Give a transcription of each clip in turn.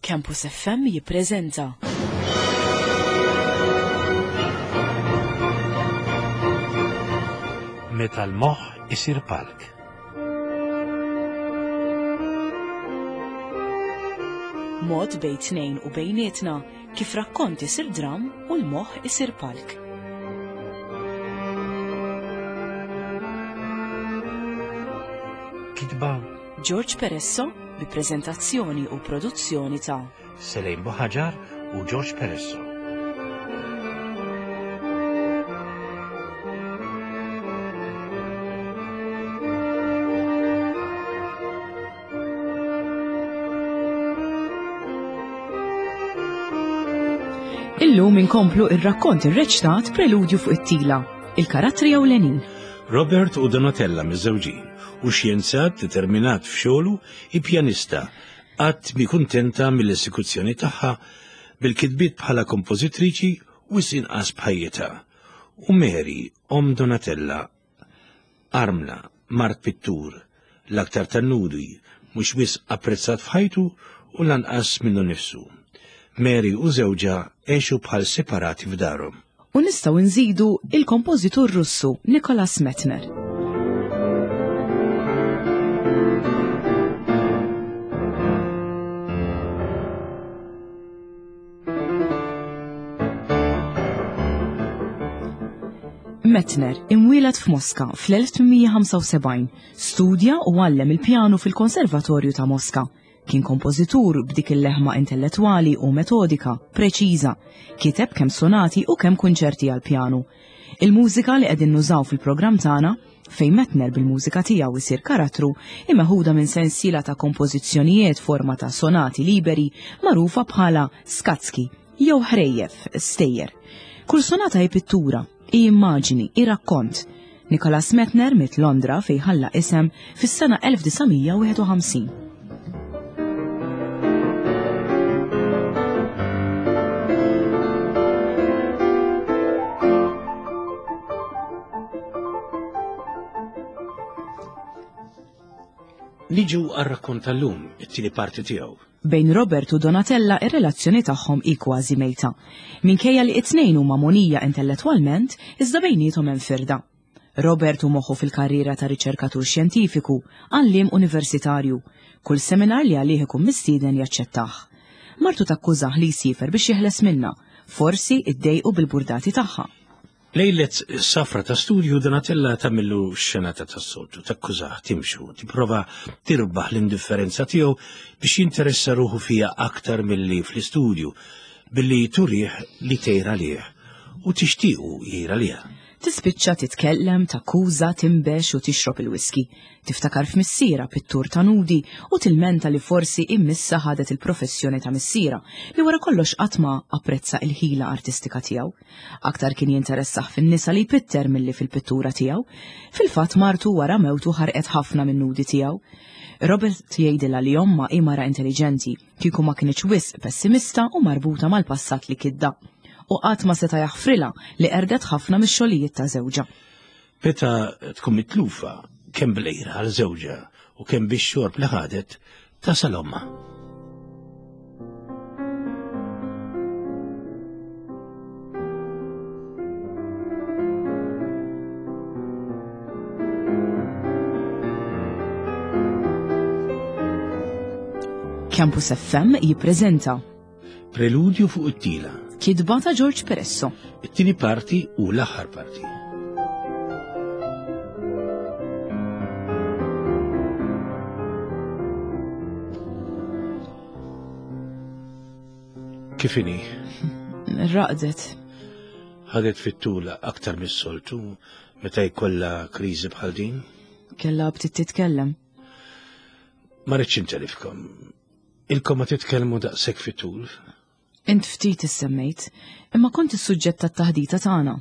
Campus FM jippreżenta. Meta l-moħħ isir palk. Mod bejn tnejn u bejnietna kif rakkont isir dram u l-moħħ isir palk. Kitba George Peresso bi preżentazzjoni u produzzjoni ta' Selejn Buħaġar u George Peresso. Illum inkomplu ir-rakkont irreċtat Preludju fuq it-tila, il-karattri ewlenin. Robert u Donatella miżżewġin u xjenzat determinat f'xogħlu hi pjanista qatt mi kuntenta mill-esekuzzjoni tagħha bil-kitbiet bħala kompożitriċi wisq inqas b'ħajjitha. U Mary, omm Donatella, armla, mart pittur, l-aktar tan-nudi, mhux wisq apprezzat f'ħajtu u lanqas minnu nnifsu. Mary u żewġha għexu bħal separati f'darhom. U nistgħu nżidu il-kompożitur Russu Nicholas Metner. Metner, imwieled f'Moska fl-1875, studja u għallem il-pjanu fil-Konservatorju ta' Moska. Kien kompożitur b'dik il-leħma intellettwali u metodika, preċiża. Kiteb kemm sonati u kemm kunċerti għall-pjanu. Il-mużika li qegħdin nużaw fil-programm tagħna, fejn Metner bil-mużika tiegħu jsir karattru, hi meħuda minn sensiela ta' kompożizzjonijiet forma ta' sonati liberi magħrufa bħala skatski jew ħrejjef, stejjer. Kull sonata hi pittura, hi immaġini, hi rakkont. Nicholas Metner miet Londra fejn ħalla isem fis-sena 1951. Niġu għar-rakkont tal-lum, it-tieni parti tiegħu. Bejn Robert u Donatella ir-relazzjoni tagħhom hi kważi mejta. Minkejja li it-tnejn huma mogħnija intellettwalment, iżda bejniethom hemm firda. Robert hu moħħu fil-karriera ta' riċerkatur xjentifiku, għalliem universitarju. Kull seminar li għalih ikun mistieden jaċċettah. Martu takkużah li jsiefer biex jeħles minnha, forsi iddejqu bil-burdati tagħha. Lejlet safra ta' studju Donatella tagħmillu xenata tas-soltu, takkużah, timxu, tipprova tirbaħ l-indifferenza tiegħu biex jinteressa ruħu fiha aktar milli fl-istudju, billi turih li tgħir għalih u tixtiequ jgħir għaliha. Tispiċċa titkellem, takkuża, tinbex u tixrob il-whisky. Tiftakar f'missierha, pittur ta' nudi, u tilmenta li forsi immissha ħadet il-professjoni ta' missierha, li wara kollox qatt ma apprezza il-ħila artistika tiegħu. Aktar kien jinteressah fin-nisa li jpitter milli fil-pittura tiegħu. Fil-fatt martu wara mewtu ħarqet ħafna min-nudi tiegħu. Robert jgħidilha li ommha hi mara intelliġenti, kieku ma kinitx wisq pessimista u marbuta mal-passat li kidda. U qatt ma seta' jaħfrilha li qerdet ħafna mix-xogħlijiet ta' żewġha. Meta tkun mitlufa kemm bl-għira għal żewġha u kemm bix-xorb li ħadet, tasal ommha. Campus FM jippreżenta Preludju fuq it-tila. Kitba ta' George Peresso. It-tieni parti u l-aħħar parti. Kif inhi? Raqdet. Ħadet fit-tul aktar mis-soltu meta jkollha kriżi bħal din? Kellha btit titkellem. Ma rridx intelifkom. Ilkom ma titkellmu daqshekk fit-tul. Int ftit issemmejt, imma kont is-suġġett tat-taħdita tagħna.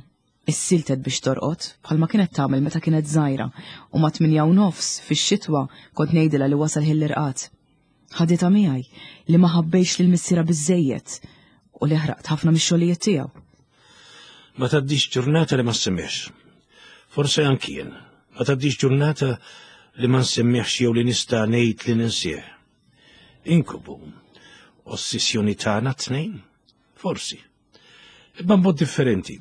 Issiltet biex torqod, bħalma kienet tagħmel meta kienet żgħira, u ma' 8:30 fix-xitwa kont ngħidilha li wasal ħin l-irqad. Ħaditha miegħi li ma ħabbejx lil missierha biżżejjed u li ħraqt ħafna mix-xogħlijiet tiegħu. Ma tgħaddix ġurnata li ma ssemmihx. Forse anki jien. Ma tgħaddix ġurnata li ma nsemmihx jew li nista' ngħid li ninsih. Inkubu. Ossessjoni tagħna t-tnejn? Forsi. Imma mod differenti.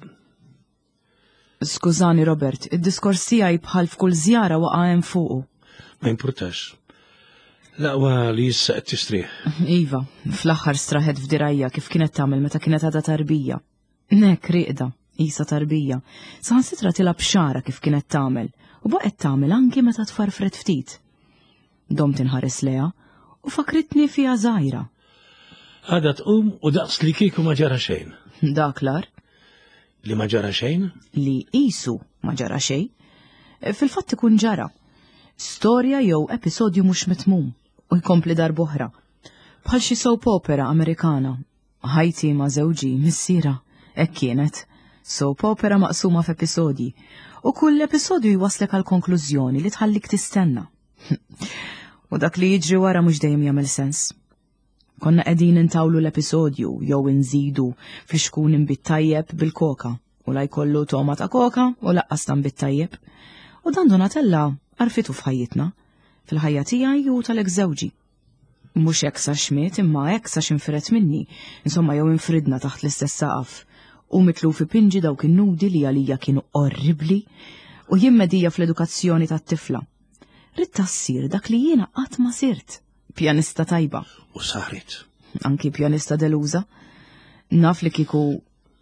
Skużani Robert, id-diskors tiegħi bħal f'kull żjara waqa' hemm fuqu. Ma jimpurtax. L-aqwa li issa qed tistrieħ. Iva, fl-aħħar straħet f'dirajja kif kienet tagħmel meta kienet għadha tarbija. Nek riqda, isa tarbija. Saħansitra tilgħab xara kif kienet tagħmel u baqgħet tagħmel anki meta tfarfret ftit. Domt inħares leha u fakritni fiha żgħira. Għada tqum u daqs li kieku ma ġara xejn. Dak l-ar. Li ma ġara xejn? Li qisu ma ġara xejn. Fil-fatt ikun ġara. Storja jew episodju mhux mitmum u jkompli darb'oħra. Bħal xi soap opera Amerikana. Ħajti ma' żewġi, missiera, hekk kienet. Soap opera maqsuma f'episodji. U kull episodju jwaslek għal konklużjoni li tħallik tistenna. U dak li jiġri wara mhux dejjem jagħmel sens. Konna qegħdin intawlu l-episodju jew inżidu flixkun inbid tajjeb bil-koka u la jkollu toma ta' koka u laqqas ta' nbid tajjeb. U dan Donatella għarfitu f'ħajjitna, fil-ħajja tiegħi u tal-ex żewġi. Mhux hekk sa xmiet imma hekk sa xinfiret minni, insomma jew infridna taħt l-istess saqaf. U mitluf ipinġi dawk in-nudi li għalija kienu orribli u jien medija fl-edukazzjoni tat-tifla. Ridtha ssir dak li jiena qatt ma sirt, pjanista tajba. U saret. Anki pjanista deluża. Naf li kieku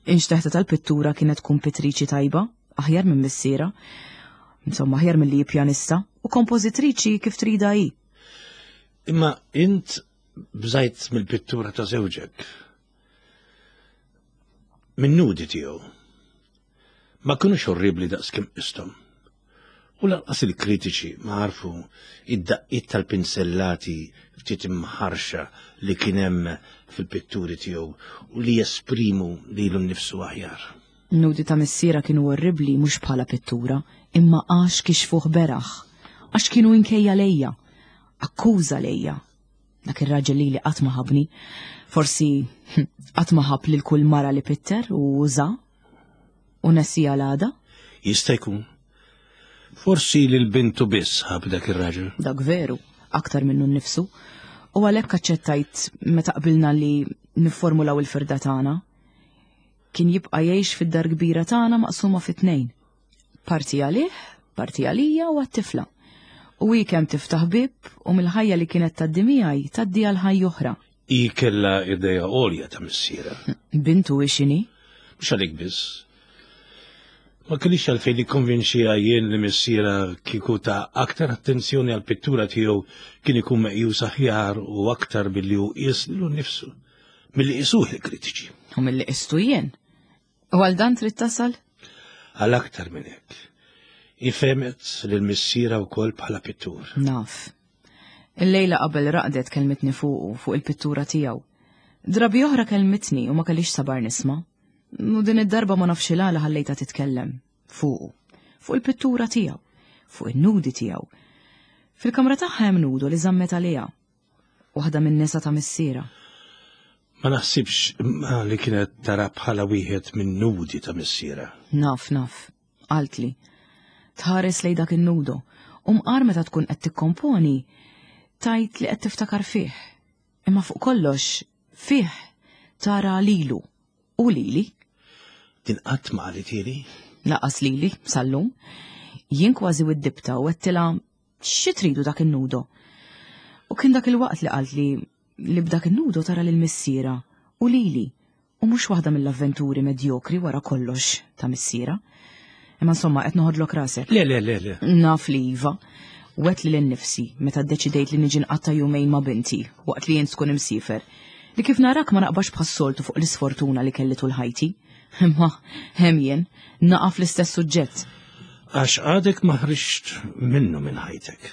inxteħta tal-pittura kienet tkun pittriċi tajba, aħjar minn missiera. Insomma, aħjar milli pjanista u kompożitriċi kif trida hi. Imma int bżajt mill-pittura ta' żewġek. Min nudi tiegħu. Ma kinux orribli daqs kemm qisthom. U lanqas il-kritiċi ma għarfu id-daqqiet tal-pinsellati ftit imħarxa li kien hemm fil-pitturi tiegħu u li jesprimu lilu nnifsu aħjar. Nudi ta' missiera kienu orribli mhux bħala pittura, imma għax kixfuh beraħ, għax kienu inkejja lejja, akkuża lejja. Dak ir-raġel lili qatt ma ħabni. Forsi qatt ma ħab lil kull mara li pitter u uża u nesija l-għada. Jista' jkun. Forsi lil bintu biss ħab dak ir-raġel. Dak veru, aktar minnu nnifsu. U għalhekk aċċettajt meta qbilna li nifformulaw il-firda tagħna. Kien jibqa' jgħix fid-dar kbira tagħna maqsuma fi tnejn. Parti għalih, parti għalija u għat-tifla. U hi kemm tiftaħ bieb u mill-ħajja li kienet tgħaddi miegħi tgħaddi għal ħajja oħra. Hi kellha idea għolja ta' missierha. Bintu hi x'inhi? Mhux għalik biss. Ma kellix għalfejn nikkonvinċiha jien li missierha kieku ta aktar attenzjoni għall-pittura tiegħu kien ikun meqjus aħjar u aktar billi hu qies lilu nnifsu milli qisuh il-kritiċi. U milli qistu jien. U għal dan trid tasal? Għal aktar minn hekk. Hi fehmet lil missierha wkoll bħala pittur. Naf. Illejla qabel raqdet kellmitni fuqu, fuq il-pittura tiegħu. Drabi oħra kellmitni u ma kellix sabar nisma'. U din id-darba ma nafx il-għala ħallejtha titkellem fuqu, fuq il-pittura tiegħu, fuq in-nudi tiegħu. Fil-kamra tagħha hemm nudu li żammet għaliha. Waħda min-nisa ta' missierha. Ma naħsibx imma li kienet tara bħala wieħed minn nudi ta' missierha. Naf, naf, qaltli. Tħares lejn dak in-nudo, u mqar meta tkun qed tikkomponi, tgħid li qed tiftakar fih. Imma fuq kollox, fih tara lilu u lili. Din qatt ma qalithili? Laqas lili, sal-lum. Jien kważi widdibtha u għedtilha Xi tridu dak in-nudo? U kien dak il-waqt li qaltli li b'dak in-nudo tara lil missiera u lili u mhux waħda mill-avventuri medjokri wara kollox ta' missiera. Imma insomma qed noħodlok rasek. Le, le, le, le. Naf li iva. Wet li l-nifsi meta ddeċidejt li niġi nqatta' jumejn ma' binti waqt li jien tkun imsiefer. Li kif narak ma naqbax bħas-soltu fuq l-isfortuna li kelli tul ħajti. Imma hemm jien, naqa' fl-istess suġġett. Għax għadek ma ħriġt minnu minn ħajtek.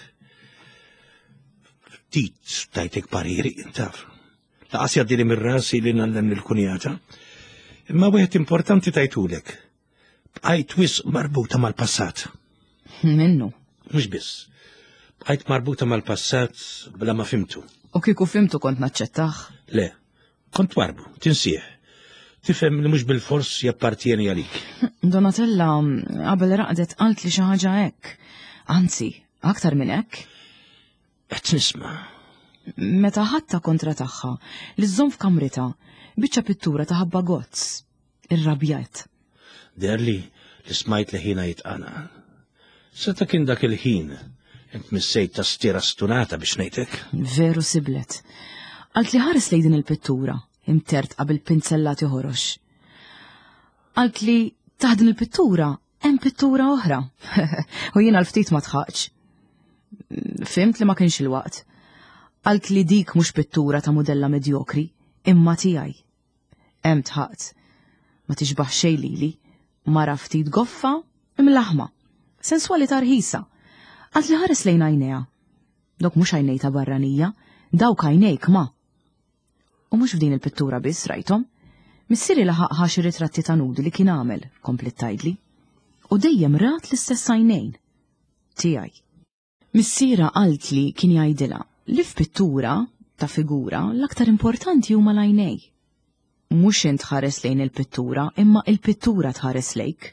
Ftit tajtek pariri, taf. Laqas jgħaddili minn rasi li nallem lil-kunjata. Imma wieħed importanti tajtulek. Bqajt wisq marbuta mal-passat. Minnu. Mhux biss. Bqajt marbuta mal-passat bla ma fimtu. U kieku fimtu kont naċċettah? Le, Kont twarbu, tinsih. Tifhem li mhux bilfors jappartjeni għalik. Donatella qabel raqdet qalt li xi ħaġa hekk. Anzi, aktar minn hekk. Qed nisma'. Meta ħadtha kontra tagħha li żżomm f'kamritha biċċa pittura ta' ħabba gozz. Irrabjajt. Deherli li smajt leħinha jitqanqal. Seta' kien dak il-ħin int missejt tastiera stunata biex ngħidlek. Veru siblet. Qaltli ħares lejn din il-pittura, imtertqa bil-pinzellati ħorox. Qaltli taħt din il-pittura hemm pittura oħra. U jiena l-ftit ma tħaqx. Fimt li ma kienx il-waqt. Qaltli dik mhux pittura ta' mudella medjokri, imma tiegħi. Hemm tħaqt. Ma tixbaħ xejn lili. Mara ftit goffa, imlaħma. Senswalità rħisa. Qaltli ħares lejn għajnejha. Dawk mhux għajnej ta' barranija, dawk għajnejk ma. U mhux f'din il-pittura biss rajthom. Missieri laħaq ħa xi ritratti ta' nudi li kien għamel, kompliet tgħidli. U dejjem rat l-istess għajnejn. Tiegħi. Missierha qaltli kien jgħidilha li f'pittura ta' figura l-aktar importanti huma l-għajnej. Mhux int tħares lejn il-pittura imma il-pittura tħares lejk.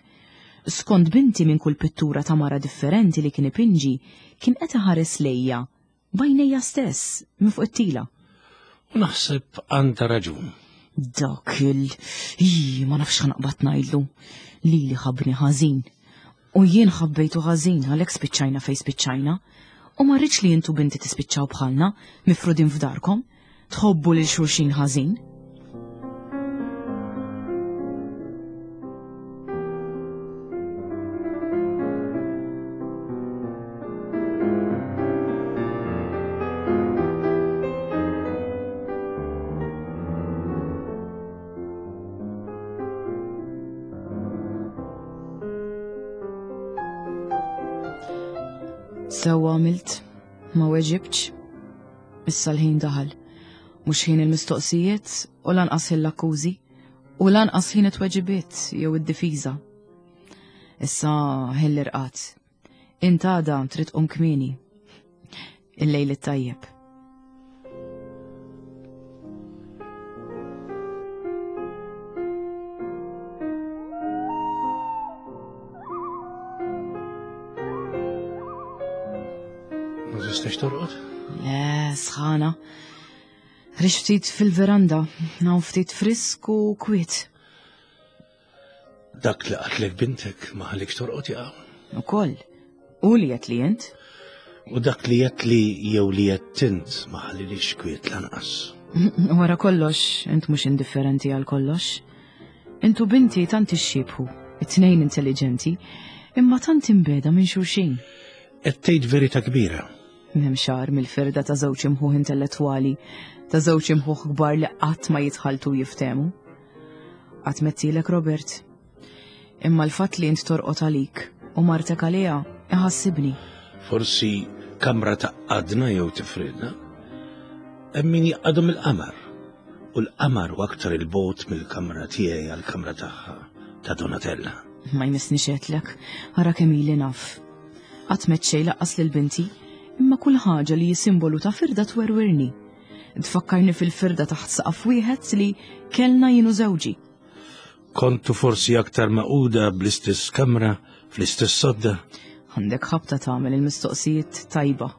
Skont binti minn kull pittura ta' mara differenti li kien ipinġi kien qed iħares lejja b'għajnejja stess minn fuq it-tila. U naħseb għandha raġun. Dak il... Ii, ma nafx ħanaqbad ngħidlu. Lili ħabbni ħażin. U jien ħabbejtu ħażin għalhekk spiċċajna fejn spiċċajna. U ma rridx li intu binti tispiċċaw bħalna, mifrudin f'darkom, tħobbu lil xulxin ħażin. Sewwa għamilt, ma weġibtx. Issa l-ħin daħal. Mhux ħin il-mistoqsijiet u lanqas ħin l-akkużi u lanqas ħin it-tweġibiet jew id-difiża. Issa ħin l-irqad. Int għada trid tqum kmieni. Il-lejl it-tajjeb. Ma tistax torqod? Le, sħana. Rix ftit fil-veranda, hawn ftit frisk u kwiet. Dak li qatlek bintek ma ħallikx torqod jaqa'. Ukoll. U li qed li int? U dak li qed li jew li qed int ma ħallilix kwiet lanqas. Wara kollox, int mhux indifferenti għal kollox. Intu binti tant ixxiebħu, it-tnejn intelligenti, imma tant imbeda minn xulxin. Qed tgħid verità kbira. M'hemm xagħar mill-firda ta' żewġ imħuħ intellettwali, ta' żewġ imħuħ kbar li qatt ma jitħalltu jiftehmu. Qatt mettilek Robert. Imma l-fatt li int torqod għalik u martek għaliha iħassibni. Forsi kamra taqadna jew tifridna. Hemm min jaqadhom il-qamar. U l-qamar u aktar il-bot mill-kamra tiegħi għall-kamra tagħha ta' Donatella. Ma jmissni għedtlek, ara kemm ili naf. Qatt m'għedt xejn laqqas lil binti, imma kull ħaġa li hi simbolu ta' firda twerwirni. Tfakkarni fil-firda taħt saqaf wieħed li kellna jien u żewġi. Kontu forsi aktar maquda bl-istess kamra, fl-istess sodda? Għandek ħabta tagħmel il-mistoqsijiet tajba.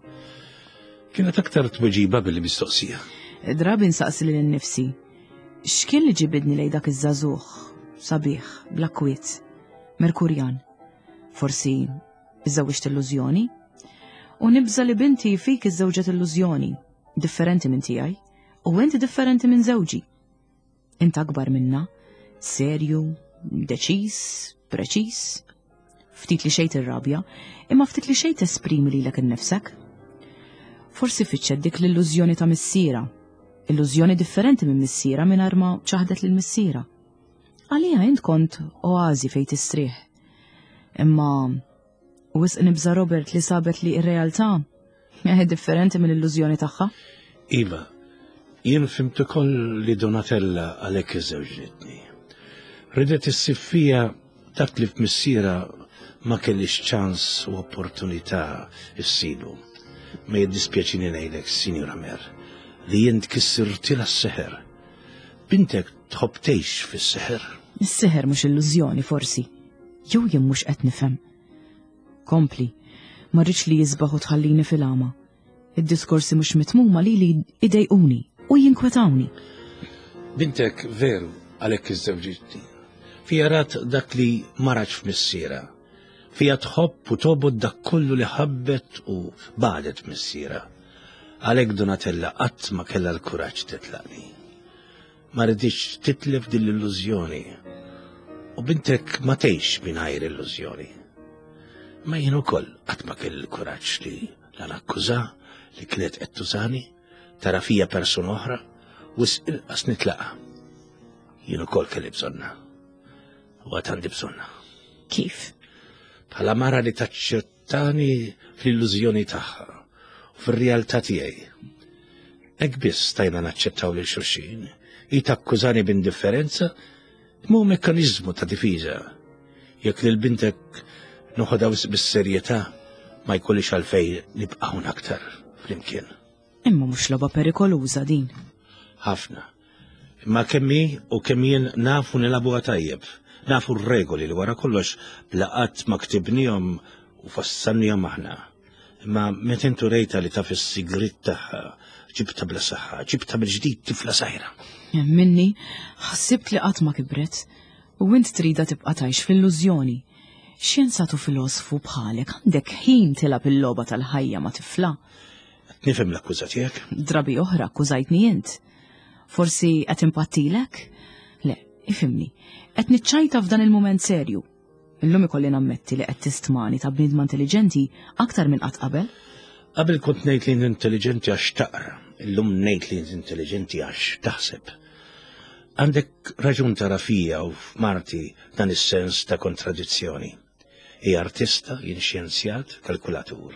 Kienet aktar tweġiba billi mistoqsija. Drabi nsaqsi lil innifsi, x'kien li ġibidni lej dak iż-żagħżugħ, sabiħ, bla kwiet, Merkurjan. Forsi iżżewwiġt illużjoni? U nibża li binti fik iżżewġet illużjoni, differenti minn tiegħi, u inti differenti minn żewġi. Int akbar minna, serju, deċiż, preċiż. Ftit li xejn tirrabja, imma ftit li xejn tesprimi lilek innifsek. Forsi fittxet dik l-illużjoni ta' missiera, illużjoni differenti minn missiera mingħajr ma ċaħdet lil missiera. Għaliha int kont oażi fejn tistrieħ. Imma wisq nibża' Robert li sabet li r-realtà eh, differenti mill-illużjoni tagħha. Iva, jien fimt ukoll li Donatella għalhekk iżewġitni. Ridet issib fija dak li f'missiera ma kellix ċans u opportunità issibu. Ma jiddispjaċini ngħidlek, Sinjura Mer, li jint kissirtilha s-seħer. Bintek tħobb tgħix fis-seħer. Is-seħer mhux illużjoni forsi. Jew jien mhux qed nifhem. Kompli, ma rridx li jisbaħ u tħallini fil-għama. Id-diskorsi mhux mitmuma lili idejquni u jinkwetawni. Bintek veru għalhekk iżżewġitni. Fija rat dak li ma ratx f'missiera. Fija tħobb u tobgħod dak kollu li ħabbet u bagħdet missiera. Għalhekk Donatella qatt ma kellha l-kuraġġ titlaqni. Ma riditx titlef din l-illużjoni. U bintek ma tgħix mingħajr illużjoni. Ma jien ukoll qatt ma kelli l-kuraġġ li la nakkuża li kienet qed tużani, tara fija persuna oħra, wisq inqas nitlaqa. Jien ukoll kelli bżonna. U għad għandi bżonna. Kif? Bħala mara li taċċettani fl-illużjoni tagħha u fir-realtà tiegħi. Hekk biss stajna naċċettaw lil xulxin. Hi takkużani b'indifferenza, imma hu mekkaniżmu ta' difiża. Jekk lil bintek noħodha wisq bis-serjetà, ma jkollix għalfejn nibqa' hawn aktar flimkien. Imma mhux logħba perikoluża din. Ħafna. Imma kemm hi u kemm jien nafu nilagħbuha tajjeb. Nafu r-regoli li wara kollox bla qatt ma ktibnihom u fassalnihom aħna. Imma meta intu rejta li taf is-sigriet tagħha, ġibta bla saħħa, ġibta mill-ġdid tifla sajra. Minni, ħassibt li qatt ma kibret. U int trida tibqa' tgħix fl-illużjoni. Xjenzat u filosfu bħalek għandek ħin tilgħab il-logħba tal-ħajja ma' tifla. Qed nifhem l-akkuża tiegħek. Drabi oħra akkużajtni int. Forsi qed impattilek? Le, ifhimni. Qed niċċajta f'dan il-mument serju. Illum ikolli nammetti li qed tistmani ta' bniedma intelliġenti aktar minn qatt qabel. Qabel kont ngħid li intelliġenti għax taqra, illum ngħid li intelliġenti għax taħseb. Għandek raġun tara fija u f'marti dan is-sens ta' kontradizzjoni. Hi artista, jien xjenzjat, kalkulatur.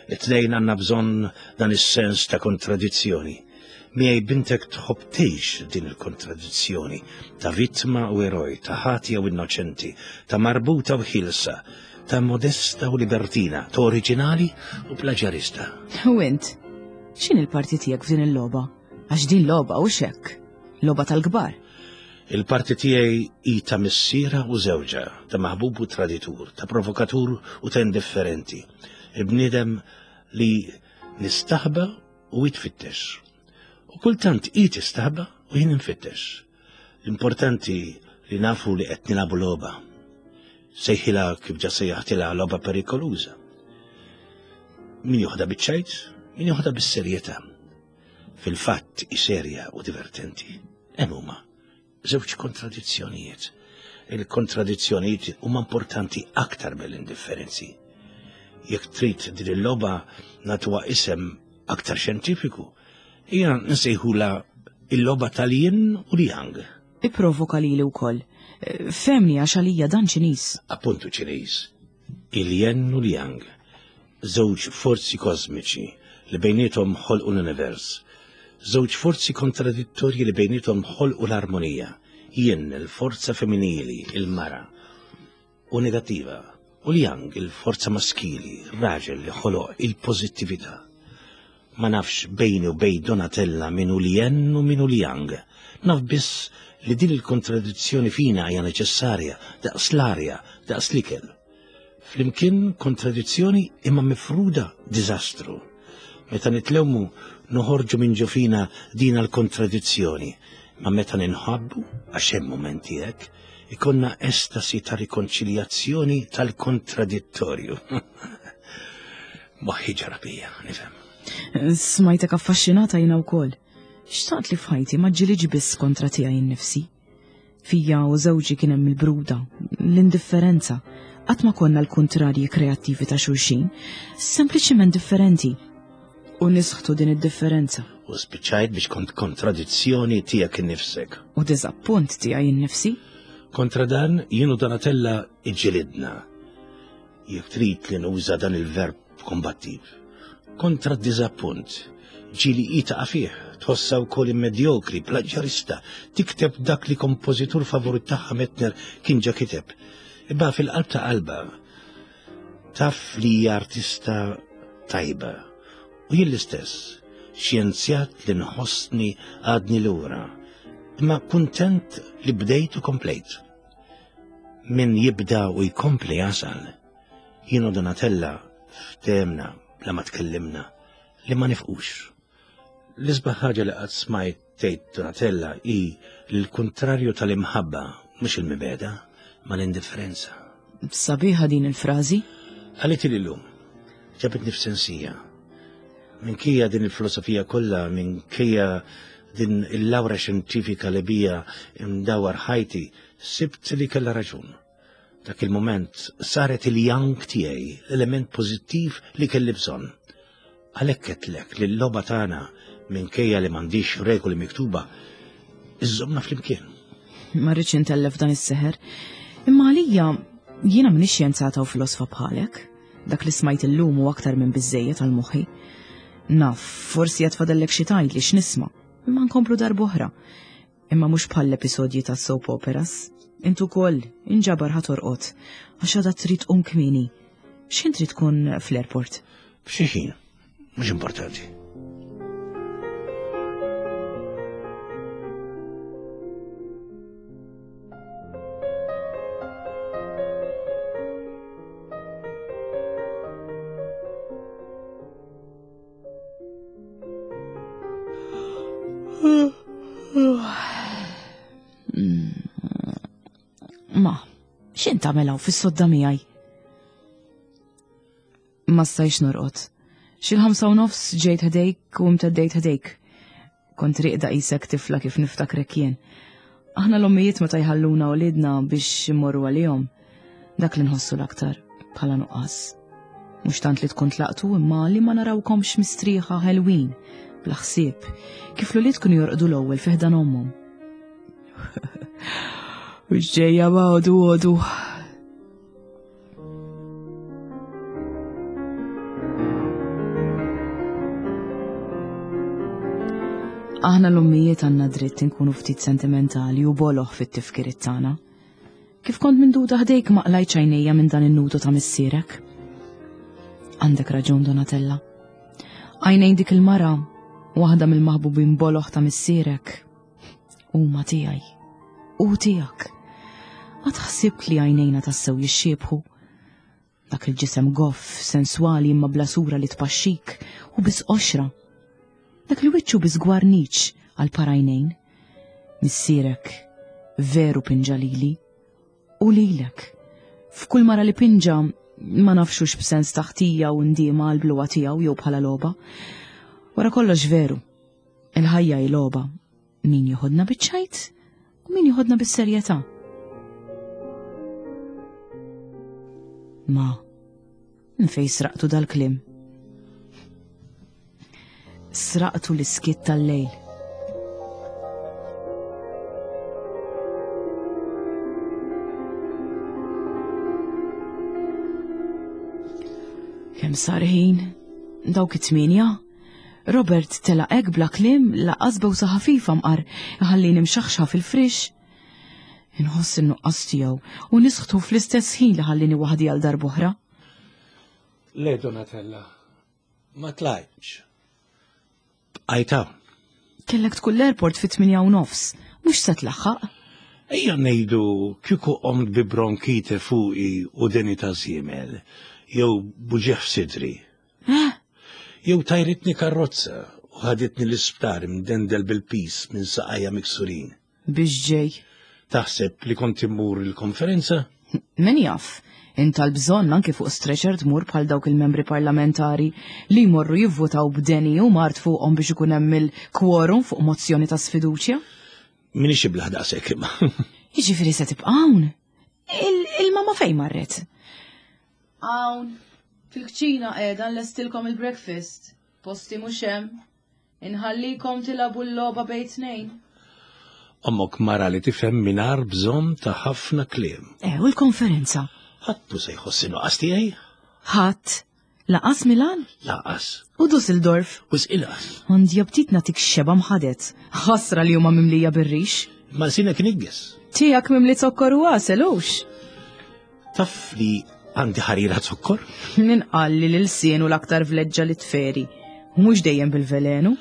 It-tnejn għandna bżonn dan is-sens ta' kontradizzjoni. Miegħi bintek tħobb tgħix din il-kontradizzjoni ta' vittma u eroj, ta' ħatja u innoċenti, ta' marbuta u ħielsa, ta' modesta u libertina, ta' oriġinali u plaġjarista. U int, x'inhi l-parti tiegħek f'din il-logħba? Għax din logħba u xekk, logħba tal-kbar. Il-parti tiegħi hi ta' missiera u żewġha, ta' maħbub u traditur, ta' provokatur u ta' indifferenti. Il-bniedem li nistaħba u jitfittex. U kultant hi tistaħba u jien infittex. L-importanti li nafu li qed nilagħbu logħba. Sejħilha kif ġa sejjaħtilha logħba perikoluża. Min joħda biċ-ċajt, min joħda bis-serjetà. Fil-fatt hi serja u divertenti. Hemm huma żewġ kontradizzjonijiet. Il-kontradizzjonijiet huma importanti aktar mill-indifferenzi. Jekk trid din il-logħba nagħtuha isem aktar xjentifiku, hija nsejħula il-logħba tal-yin u l-yang. Ipprovoka lili wkoll. Fehmni għax għalija dan Ċiniż. Appuntu Ċiniż. Il-yin u l-yang, żewġ forzi kosmiċi li bejniethom ħolqu l-univers. Żewġ forzi kontradittorji li bejniethom ħolqu l-armonija. Yin, il-forza femminili, il-mara, u negattiva, u l-yang, il-forza maskili, raġel li ħoloq il-pożittività. Ma nafx bejni u bejn Donatella min hu l-yin u min hu l-yang. Naf biss li din il-kontradizzjoni fina hija neċessarja daqs l-arja, daqs l-ikel. Flimkien kontradizzjoni imma mifruda diżastru. Meta nitlewmu noħorġu minn ġo fina din l-kontradizzjoni, ma meta ninħabbu, għax hemm mumenti hekk, ikonna estasi ta' rikonċiljazzjoni tal-kontradittorju. Moħħi ġara bija, nifhem. Smajtek affaxxinata jiena wkoll. Xtaqt li f'ħajti ma ġġilidx biss kontra tiegħi nnifsi. Fija u żewġi kien hemm il-bruda, l-indifferenza. Qatt ma konna l-kuntrarji kreattivi ta' xulxin, sempliċiment differenti. U nisħtu din id-differenza. U spiċċajt biex kont kontradizzjoni tiegħek innifsek. U diżappunt tiegħi innifsi. Kontra dan jien u Donatella iġġilidna. Jekk trid li nuża dan il-verb kombattiv. Kontra d-diżappunt. Ġieli hi taqa' fih, tħossha wkoll immedjokri, plaġjarista, tikteb dak li kompożitur favorit tagħha Metner kien ġa kiteb. Imma fil-qalb ta' qalbha taf li hija artista tajba. U jien l-istess, xjenzjat li nħossni għadni lura, imma kuntent li bdejt u komplejt. Min jibda u jkompli jasal. Jien u Donatella ftehemna bla ma tkellimna. li ma nifqux. L-isbaħ ħaġa li qatt smajt tgħid Donatella hi li l-kuntrarju tal-imħabba mhux il-mibegħda, ma l-indifferenza. Sabiħa din il-frażi. Qaliti li llum. Ġabitni f'sensija. Minkejja din il-filosofija kollha, minkejja din il-lawra xjentifika li bija imdawar ħajti, sibt li kellha raġun. Dak il-moment saret il-yang tiegħi, l-element pożittiv li kelli bżonn. Għalhekk għedtlek li l-logħba tagħna minkejja li m'għandix regoli miktuba, iżżommna flimkien. Ma rridx intellef dan is-seħer, imma għalija jiena m'iniex xjenzata u filosfa bħalek. Dak li smajt illum hu aktar minn biżżejjed għal moħħi. Naf, forsi għad fadallek xi tgħidli x'nisma', imma nkomplu darb'oħra. Imma mhux bħall-episodji ta' soap operas. Int ukoll inġabar ħa torqod għax għada trid tqum kmieni. X'ħin trid tkun fl-airport? F'xi ħin, mhux importanti. Ma, x'int tagħmel hawn fis-sodda miegħi? Ma stajx norqod. Xil-ħamsa u nofs ġejt ħdejk u imteddejt ħdejk. Kont riqda qisek tifla kif niftakrek jien. Aħna l-ommijiet meta jħalluna uliedna biex immorru għalihom, dak li nħossu l-aktar bħala nuqqas. Mhux tant li tkun tlaqtu imma li ma narawkomx mistrieħa ħelwin, bla ħsieb, kif l-ulied kienu jorqdu l-ewwel fi ħdan ommhom. U ġejja ma għodu għodu. Aħna l-ommijiet għandna dritt inkunu ftit sentimentali u boloh fit-tifkiriet tagħna. Kif kont minduda ħdejk ma qlajtx għajnejja minn dan in-nudu ta' missierek. Għandek raġun Donatella. Għajnejn dik il-mara, waħda mill-maħbubin boloh ta' missierek, huma tiegħi. U tiegħek. Ma tħsibx li għajnejna tassew jixxiebħu? Dak il-ġisem goff, senswali imma bla sura li tpaxxik u biss qoxra. Dak il-wiċċu biss gwarniċ għal parajnejn. Missierek veru pinġa lili u lilek. F'kull mara li pinġa ma nafxux b'sens taħtija u ndiema għal bluwa tiegħu jew bħala logħba. Wara kollox veru, il-ħajja hi logħba Min joħodna biċ-ċajt u min joħodna bis-serjetà. Ma, nfej sraqtu dal-klim. Sraqtu l-iskiet tal-lejl. Kemm sar ħin? Dawk it-tmienja? Robert telaq hekk bla kliem laqqas bewsa ħafifa mqar iħallini mxaħxħa fil-frix. Inħoss in-nuqqas tiegħu u nisħtu fl-istess ħin li ħallini waħdi għal darb'oħra. Le Donatella, ma tlajtx. Bqajt hawn. Kellek tkun l-airport fit-8 u nofs, mhux se tlaħħaq. Ejja ngħidu kieku qomt bi bronkite fuqi u deni ta' żiemel, jew buġieħ f'sidri. Eh? Jew tajritni karrozza u ħaditni l-isptar imdendel bil-pis minn saqajja miksurin. Biex ġej. Taħseb li kont immur il-konferenza? Min jaf, int tal-bżonn anki fuq stretcher tmur bħal dawk il-membri parlamentari li jmorru jivvutaw b'deni u mard fuqhom biex ikun hemm il-quorum fuq mozzjoni ta' sfiduċja? Minix iblaħ daqshekk imma. Jiġifieri se tibqa' hawn? Il-mama fejn marret? Hawn, fil-kċina qiegħda nlestilkom il-breakfast. Posti mhux hemm. Inħallikom tilagħbu l-logħba bejn tnejn. Ommok mara li tifhem mingħajr bżonn ta' ħafna kliem. Eh, u l-konferenza? Ħadd mhu se jħoss in-nuqqas tiegħi. Ħadd? Laqas Milan? Laqas. U Dusseldorf? Wisq inqas. Għandi aptit nagħtik xeba mħadet. Ħasra li huma mimlija bir-rix. Ma sinek nigges. Tiegħek mimli zokkor u għasel hux. Taf li għandi ħarira zokkor? Min qal li l-ilsien u l-aktar vleġġa li tferi, u mhux dejjem bil-velenu?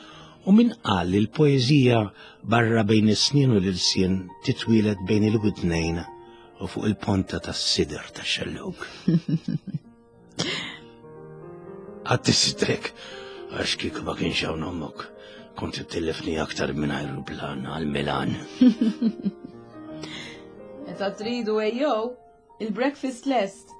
U min qal li l-poeżija barra bejn is-snien u l-ilsien titwieled bejn il-widnejn u fuq il-ponta tas-sider tax-xellug? Għatti sidrek. Għax kieku ma kienx hawn ommok, kont ittellefni aktar minn ajruplan għal Milan. Meta tridu ejjew, il-breakfast lest.